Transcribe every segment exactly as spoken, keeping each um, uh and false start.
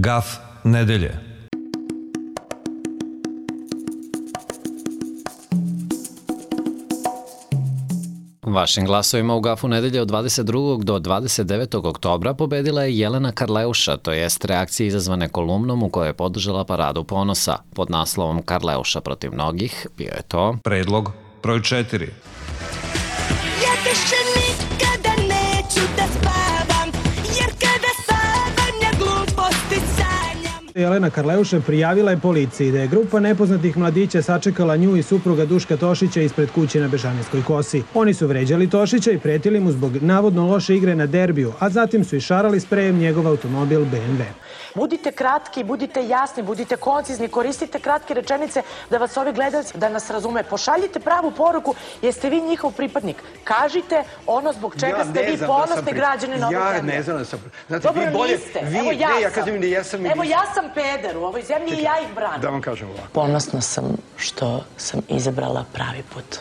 Gaf nedelje. Vašim glasovima u Gafu nedelje od dvadeset drugog do dvadeset devetog oktobra pobedila je Jelena Karleuša, to jest reakcije izazvane kolumnom u kojoj je podržala Paradu ponosa. Pod naslovom Karleuša protiv mnogih bio je to Predlog broj četiri. Ja više nikada neću da spavam, jer kada spavam ja gluposti sanjam. Jelena Karleuša prijavila je policiji da je grupa nepoznatih mladića sačekala nju i supruga Duška Tošića ispred kuće na Bežanijskoj kosi. Oni su vređali Tošića i pretili mu zbog navodno loše igre na derbiju, a zatim su išarali sprejem njegov automobil be em ve. Budite kratki, budite jasni, budite koncizni, koristite kratke rečenice da vas ovi gledalci, da nas razume. Pošaljite pravu poruku, jeste vi njihov pripadnik. Kažite ono zbog čega ja ste vi ponosni građani na ovoj ja zemlji. Ja ne znam da sam... Znate, Dobro, vi bolje, niste. Vi, Evo ja ne, ja sam. kažem da ja sam... Evo ja sam peder u ovoj zemlji. Čekaj, i ja ih branim. Da vam kažem ovako. Ponosna sam što sam izabrala pravi put.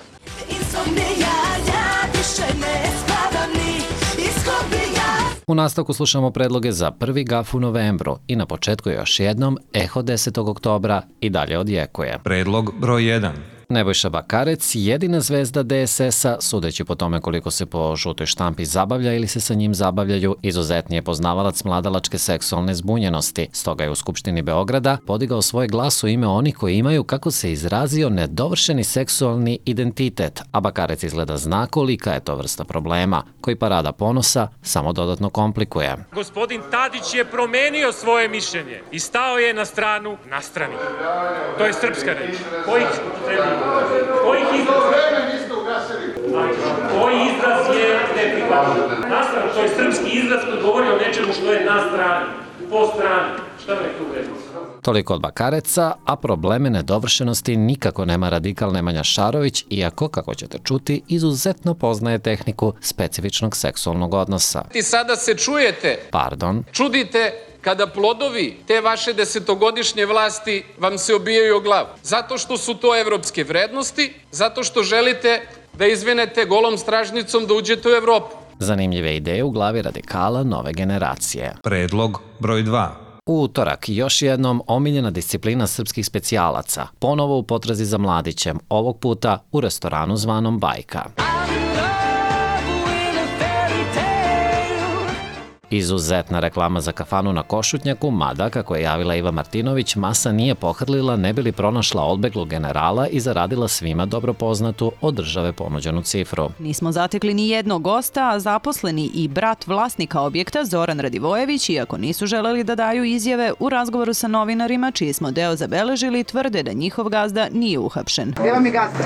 Insomnija, ja više ne spavam ni iskobija. U nastavku slušamo predloge za prvi Gaf u novembru i na početku još jednom Eho desetog oktobra i dalje odjekuje. Predlog broj jedan. Nebojša Bakarec, jedina zvezda de es es-a, sudeći po tome koliko se po žutoj štampi zabavlja ili se sa njim zabavljaju, izuzetnije poznavalac mladalačke seksualne zbunjenosti. Stoga je u Skupštini Beograda podigao svoj glas u ime onih koji imaju, kako se izrazio, nedovršeni seksualni identitet, a Bakarec izgleda zna kolika je to vrsta problema, koji Parada ponosa samo dodatno komplikuje. Gospodin Tadić je promenio svoje mišljenje i stao je na stranu nastrani. To je srpska reč. Kojih Kojih izraz? Koji izraz je neprihvatljiv? Nastrano, to je srpski izraz koji govori o nečemu što je na strani, po strani. Šta me tu vredno? Toliko od Bakareca, a probleme nedovršenosti nikako nema radikal Nemanja Šarović, iako, kako ćete čuti, izuzetno poznaje tehniku specifičnog seksualnog odnosa. I sada se čujete, Pardon. čudite kada plodovi te vaše desetogodišnje vlasti vam se obijaju o glavu. Zato što su to evropske vrednosti, zato što želite da izvinete golom stražnicom da uđete u Evropu. Zanimljive ideje u glavi radikala nove generacije. Predlog broj dva. U utorak još jednom omiljena disciplina srpskih specijalaca, ponovo u potrazi za mladićem, ovog puta u restoranu zvanom Bajka. Izuzetna reklama za kafanu na Košutnjaku, mada, kako je javila Iva Martinović, masa nije pohrlila ne bi li pronašla odbeglog generala i zaradila svima dobro poznatu od države ponuđenu cifru. Nismo zatekli ni jednog gosta, a zaposleni i brat vlasnika objekta Zoran Radivojević, iako nisu želeli da daju izjave, u razgovoru sa novinarima, čiji smo deo zabeležili, tvrde da njihov gazda nije uhapšen. Evo mi gazda.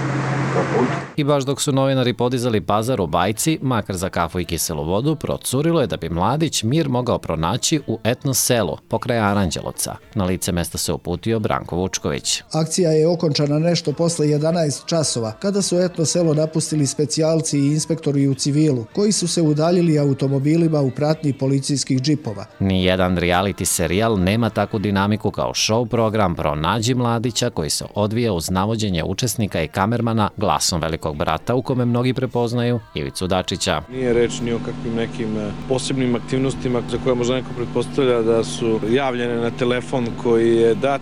I baš dok su novinari podizali pazar u Bajci, makar za kafu i kiselu vodu, procurilo je da bi mladić mir mogao pronaći u etno selu pokraj Aranđelovca. Na lice mesta se uputio Branko Vučković. Akcija je okončana nešto posle jedanaest časova, kada su etno selo napustili specijalci i inspektori u civilu, koji su se udaljili automobilima u pratnji policijskih džipova. Nijedan reality serijal nema takvu dinamiku kao show program Pronađi mladića, koji se odvija uz navođenje učesnika i kamermana glasom velikog brata, u kome mnogi prepoznaju Ivicu Dačića. Nije reč ni o kakvim nekim posebnim aktivnostima za koje možda neko pretpostavlja da su javljene na telefon koji je dat.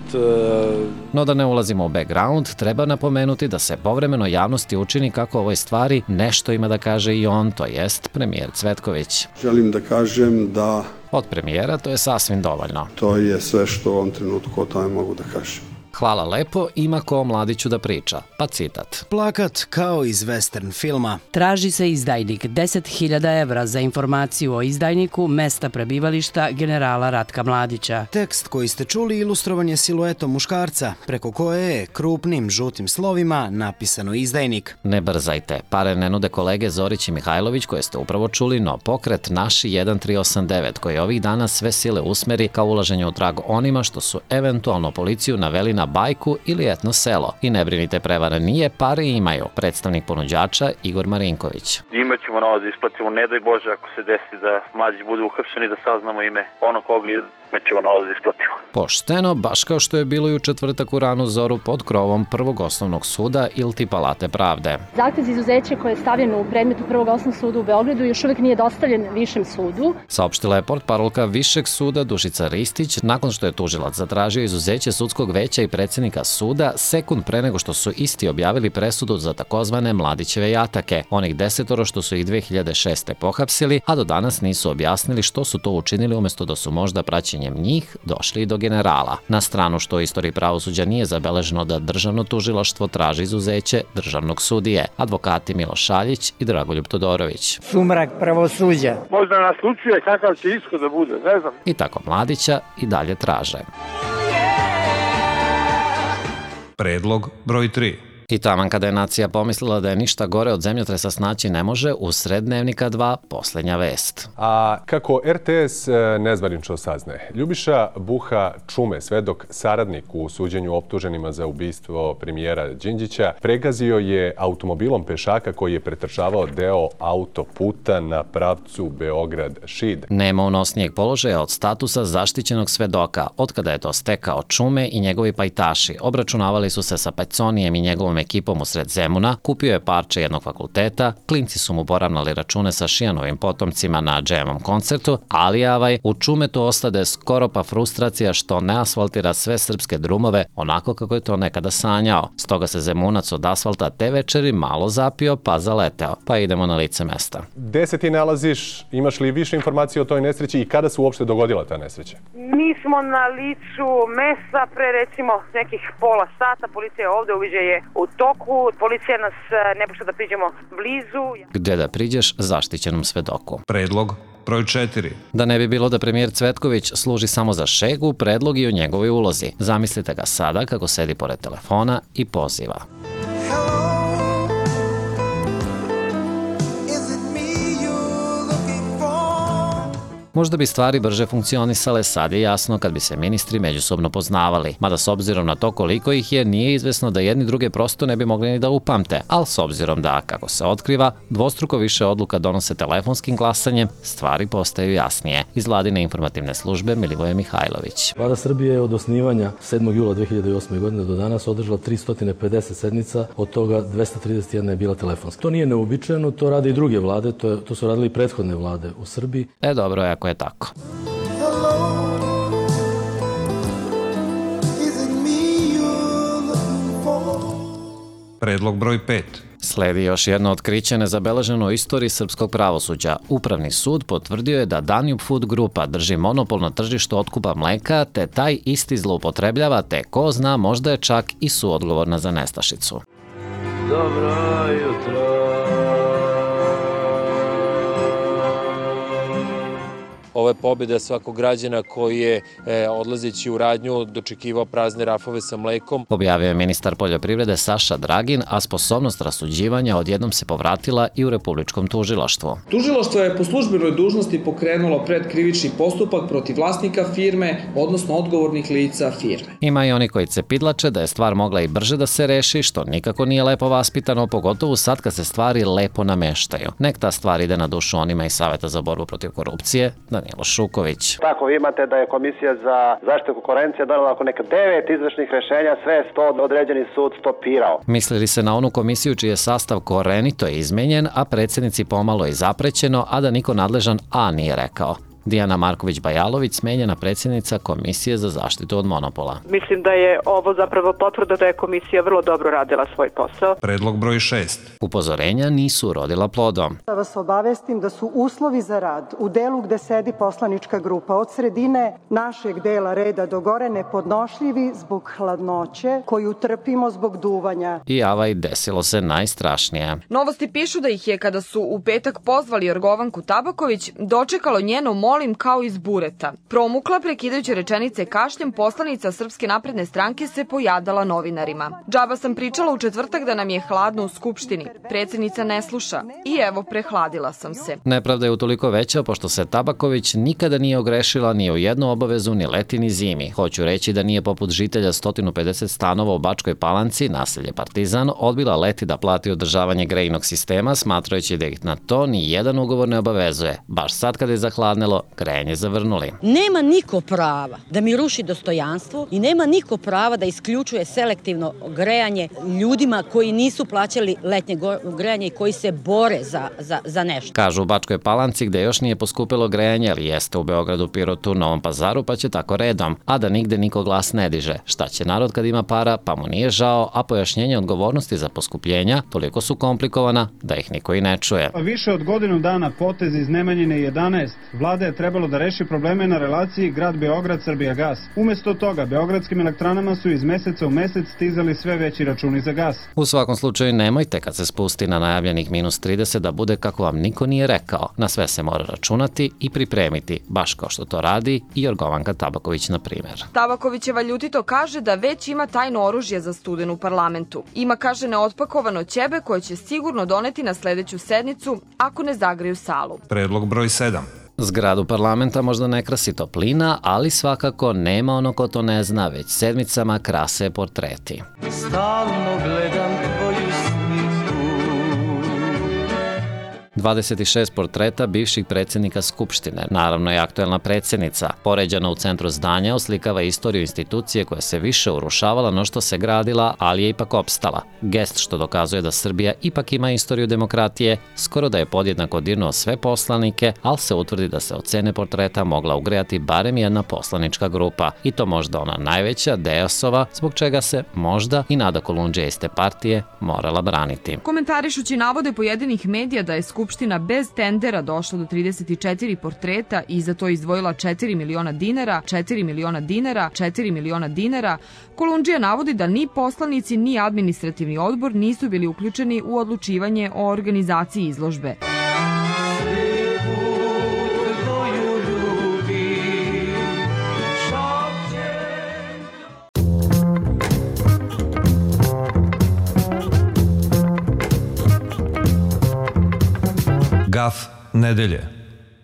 No da ne ulazimo u background, treba napomenuti da se povremeno javnosti učini kako o ovoj stvari nešto ima da kaže i on, to jest premijer Cvetković. Želim da kažem da... Od premijera to je sasvim dovoljno. To je sve što u ovom trenutku o tome mogu da kažem. Hvala lepo, ima ko o mladiću da priča. Pa citat. Plakat kao iz western filma. Traži se izdajnik, deset hiljada evra za informaciju o izdajniku mesta prebivališta generala Ratka Mladića. Tekst koji ste čuli ilustrovan je siluetom muškarca, preko koje je krupnim žutim slovima napisano izdajnik. Ne brzajte, pare ne nude kolege Zorić i Mihajlović koje ste upravo čuli, no pokret Naši jedan tri osam devet koji ovih dana sve sile usmeri kao ulaženje u trag onima što su eventualno policiju naveli na na bajku ili etno selo. I ne brinite, prevara nije, pare imaju. Predstavnik ponuđača Igor Marinković. Imaćemo novac da isplatimo, ne daj Bože ako se desi da mlađi budu uhapšeni, da saznamo ime ono koga imaćemo novac da isplatimo. Pošteno, baš kao što je bilo i u četvrtak u ranu zoru pod krovom Prvog osnovnog suda iliti Palate pravde. Zahtev za izuzeće koje je stavljeno u predmetu Prvog osnovnog suda u Beogradu još uvek nije dostavljen Višem sudu. Saopštila je portparolka Višeg suda Dušica Ristić nakon što je tužilac zatražio izuzeće sudskog veća i predsednika suda sekund pre nego što su isti objavili presudu za takozvane Mladićeve jatake, onih desetoro što su ih dve hiljade šeste. pohapsili, a do danas nisu objasnili što su to učinili umesto da su možda praćenjem njih došli i do generala. Na stranu što u istoriji pravosuđa nije zabeleženo da državno tužilaštvo traži izuzeće državnog sudije, advokati Miloš Šaljić i Dragoljub Todorović. Sumrak pravosuđa. Možda nas učuje kakav će ishod da bude, ne znam. I tako Mladića i dalje traže. Predlog broj tri. I taman kada je nacija pomislila da je ništa gore od zemljotresa snaći ne može, usred Dnevnika dva posljednja vest. A kako er te es nezvanično saznaje, Ljubiša Buha Čume, svedok saradnik u suđenju optuženima za ubistvo premijera Đinđića, pregazio je automobilom pešaka koji je pretrčavao deo autoputa na pravcu Beograd-Šid. Nema unosnijeg položaja od statusa zaštićenog svedoka. Otkada je to stekao Čume i njegovi pajtaši, obračunavali su se sa Peconijem i njegovom ekipom usred Zemuna, kupio je parče jednog fakulteta, klinci su mu poravnali račune sa Šijanovim potomcima na džemom koncertu, ali avaj, u Čumetu ostade skoro pa frustracija što ne asfaltira sve srpske drumove onako kako je to nekada sanjao. Stoga se Zemunac od asfalta te večeri malo zapio pa zaleteo. Pa idemo na lice mesta. Gde se ti nalaziš? Imaš li više informacije o toj nesreći i kada se uopšte dogodila ta nesreća? Mi smo na licu mesta pre recimo nekih pola sata. Policija je ovde, uviđaj je u toku. Policija nas ne pušta da priđemo blizu. Gde da priđeš zaštićenom svedoku? Predlog broj četiri. Da ne bi bilo da premijer Cvetković služi samo za šegu, predlog i o njegovoj ulozi. Zamislite ga sada kako sedi pored telefona i poziva. Možda bi stvari brže funkcionisale, sad je jasno kad bi se ministri međusobno poznavali. Mada s obzirom na to koliko ih je, nije izvesno da jedni druge prosto ne bi mogli ni da upamte. Ali s obzirom da, kako se otkriva, dvostruko više odluka donose telefonskim glasanjem, stvari postaju jasnije. Iz Vladine informativne službe Milivoje Mihajlović. Vlada Srbije je od osnivanja sedmog jula dve hiljade osme. godine do danas održala tristo pedeset sednica, od toga dvesta trideset jedna je bila telefonska. To nije neuobičajeno, to rade i druge vlade, to, to su radili i prethodne vlade u Srbiji. E dobro, ako je tako. Predlog broj pet. Sledi još jedno otkriće nezabeleženo u istoriji srpskog pravosuđa. Upravni sud potvrdio je da Danube Food Grupa drži monopol na tržištu otkupa mleka, te taj isti zloupotrebljava, te ko zna, možda je čak i suodgovorna za nestašicu. Dobro jutro. Ovo je pobjeda svakog građana koji je e, odlazeći u radnju dočekivao prazne rafove sa mlekom. Objavio je ministar poljoprivrede Saša Dragin, a sposobnost rasuđivanja odjednom se povratila i u Republičkom tužilaštvu. Tužilaštvo je po službenoj dužnosti pokrenulo predkrivični postupak protiv vlasnika firme, odnosno odgovornih lica firme. Ima i oni koji cepidlače da je stvar mogla i brže da se reši, što nikako nije lepo vaspitano, pogotovo sad kad se stvari lepo nameštaju. Nek ta stvar ide na dušu onima iz Saveta za borbu protiv korupcije, Danilo Šuković. Tako, vi imate da je Komisija za zaštitu konkurencije donela oko neka devet izvršnih rešenja, sve sto određeni sud stopirao. Mislili se na onu komisiju čiji je sastav korenito izmenjen, a predsjednici pomalo i zaprećeno, a da niko nadležan A nije rekao. Dijana Marković-Bajalović, smenjena predsjednica Komisije za zaštitu od monopola. Mislim da je ovo zapravo potvrda da je komisija vrlo dobro radila svoj posao. Predlog broj šest. Upozorenja nisu urodila plodom. Da vas obavestim da su uslovi za rad u delu gde sedi poslanička grupa od sredine našeg dela reda do gore nepodnošljivi zbog hladnoće koju trpimo zbog duvanja. I avaj, desilo se najstrašnije. Novosti pišu da ih je, kada su u petak pozvali Jorgovanku Tabaković, dočekalo njeno moljenje molim kao iz bureta. Promukla prekidajući rečenice kašljem, poslanica Srpske napredne stranke se pojadala novinarima. Džaba sam pričala u četvrtak da nam je hladno u Skupštini. Predsjednica ne sluša. I evo, prehladila sam se. Nepravda je utoliko veća, pošto se Tabaković nikada nije ogrešila ni u jednu obavezu ni leti ni zimi. Hoću reći da nije poput žitelja sto pedeset stanova u Bačkoj Palanci, naselje Partizan, odbila leti da plati održavanje grejnog sistema, smatrajući da ih na to ni jedan ugovor ne obavezuje. Baš sad kada je zahladnelo, grejanje zavrnuli. Nema niko prava da mi ruši dostojanstvo i nema niko prava da isključuje selektivno grejanje ljudima koji nisu plaćali letnje grejanje i koji se bore za, za, za nešto. Kažu u Bačkoj Palanci, gde još nije poskupilo grejanje, ali jeste u Beogradu, Pirotu, Novom Pazaru, pa će tako redom, a da nigde niko glas ne diže. Šta će narod kad ima para, pa mu nije žao, a pojašnjenje odgovornosti za poskupljenja toliko su komplikovana da ih niko i ne čuje. Više od godinu dana potez iz Nemanjine jedanaest, vlada je trebalo da reši probleme na relaciji grad Beograd-Srbijagas. Umesto toga, beogradskim elektranama su iz meseca u mesec stizali sve veći računi za gas. U svakom slučaju nemojte kad se spusti na najavljenih minus trideset da bude kako vam niko nije rekao. Na sve se mora računati i pripremiti, baš kao što to radi i Jorgovanka Tabaković, na primjer. Tabakovićeva ljutito kaže da već ima tajno oružje za studenu u parlamentu. Ima, kaže, neotpakovano ćebe koje će sigurno doneti na sledeću sednicu ako ne zagreju salu. Predlog broj sedam. Zgradu parlamenta možda ne krasi toplina, ali svakako nema ono ko to ne zna, već sedmicama krase portreti. Stalno gledam tvoju sliku. dvadeset šest portreta bivših predsjednika Skupštine, naravno i aktuelna predsjednica. Poređana u centru zdanja oslikava istoriju institucije koja se više urušavala no što se gradila, ali je ipak opstala. Gest što dokazuje da Srbija ipak ima istoriju demokratije, skoro da je podjednako dirnuo sve poslanike, ali se utvrdi da se od cene portreta mogla ugrejati barem jedna poslanička grupa. I to možda ona najveća, Dejasova, zbog čega se možda i Nada Kolundžija iz te partije morala braniti. Komentarišući navode pojedinih medija da je Skupština bez tendera došla do trideset četiri portreta i za to izdvojila četiri miliona dinara, četiri miliona dinara, četiri miliona dinara, Kolundžija navodi da ni poslanici ni administrativni odbor nisu bili uključeni u odlučivanje o organizaciji izložbe. Gaf nedelje.